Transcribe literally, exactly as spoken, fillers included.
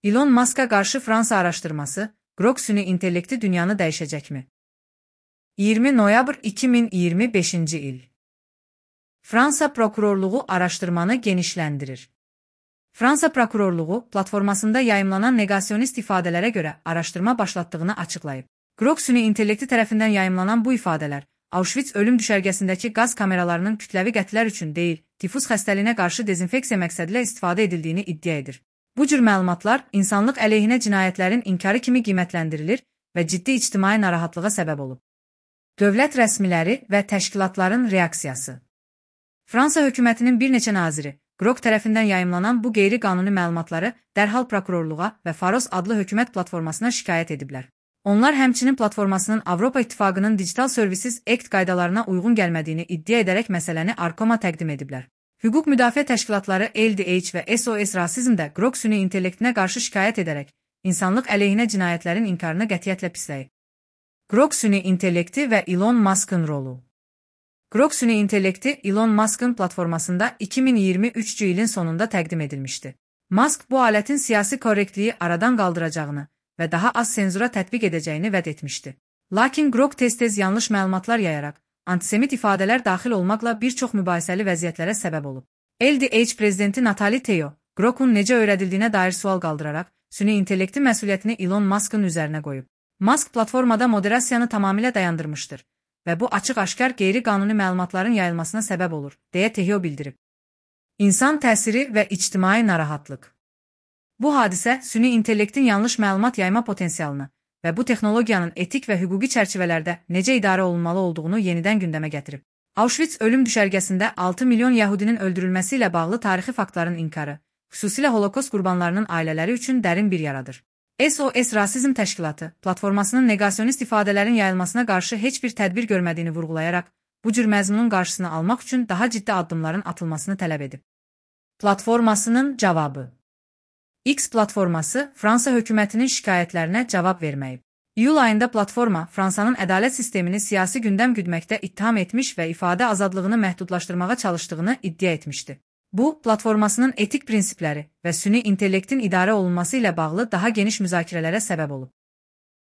Elon Musk'a qarşı Fransa araşdırması, Grok süni intellekti dünyanı dəyişəcəkmi? iyirmi noyabr iki min iyirmi beşinci il. Fransa prokurorluğu araşdırmanı genişləndirir. Fransa prokurorluğu platformasında yayımlanan negasyonist ifadələrə görə araşdırma başlatdığını açıqlayıb. Grok süni intellekti tərəfindən yayımlanan bu ifadələr, Auschwitz ölüm düşərgəsindəki qaz kameralarının kütləvi qətllər üçün deyil, tifus xəstəliyinə qarşı dezinfeksiya məqsədilə istifadə edildiyini iddia edir. Bu cür məlumatlar insanlıq əleyhinə cinayətlərin inkarı kimi qiymətləndirilir və ciddi ictimai narahatlığa səbəb olub. Dövlət rəsmiləri və təşkilatların reaksiyası. Fransa hökumətinin bir neçə naziri, Grok tərəfindən yayımlanan bu qeyri-qanuni məlumatları dərhal prokurorluğa və Faros adlı hökumət platformasına şikayət ediblər. Onlar həmçinin platformasının Avropa İttifaqının Digital Services Act qaydalarına uyğun gəlmədiyini iddia edərək məsələni Arkom'a təqdim ediblər. Hüquq müdafiə təşkilatları L D H və S O S Rasizmdə Grok süni intellektinə qarşı şikayət edərək, insanlıq əleyhinə cinayətlərin inkarını qətiyyətlə pisləyib. Grok süni intellekti və Elon Musk'ın rolu. Grok süni intellekti Elon Musk'ın platformasında iki min iyirmi üçüncü ilin sonunda təqdim edilmişdi. Musk bu alətin siyasi korrektliyi aradan qaldıracağını və daha az senzura tətbiq edəcəyini vəd etmişdi. Lakin Grok tez-tez yanlış məlumatlar yayaraq, antisemit ifadələr daxil olmaqla bir çox mübahisəli vəziyyətlərə səbəb olub. L D H prezidenti Natali Teo, Grok'un necə öyrədildiyinə dair sual qaldıraraq, süni intellekti məsuliyyətini Elon Musk'ın üzərinə qoyub. Musk platformada moderasiyanı tamamilə dayandırmışdır və bu açıq-aşkar qeyri-qanuni məlumatların yayılmasına səbəb olur, deyə Teo bildirib. İnsan təsiri və ictimai narahatlıq. Bu hadisə süni intellektin yanlış məlumat yayma potensialını və bu texnologiyanın etik və hüquqi çərçivələrdə necə idarə olunmalı olduğunu yenidən gündəmə gətirib. Auschwitz ölüm düşərgəsində altı milyon yəhudinin öldürülməsi ilə bağlı tarixi faktların inkarı, xüsusilə Holokost qurbanlarının ailələri üçün dərin bir yaradır. S O S Rasizm Təşkilatı platformasının negasyonist ifadələrin yayılmasına qarşı heç bir tədbir görmədiyini vurğulayaraq, bu cür məzmunun qarşısını almaq üçün daha ciddi addımların atılmasını tələb edib. Platformasının cavabı. X platforması Fransa hökumətinin şikayətlərinə cavab verməyib. İyul ayında platforma Fransanın ədalət sistemini siyasi gündəm güdməkdə ittiham etmiş və ifadə azadlığını məhdudlaşdırmağa çalışdığını iddia etmişdi. Bu, platformasının etik prinsipləri və süni intellektin idarə olunması ilə bağlı daha geniş müzakirələrə səbəb olub.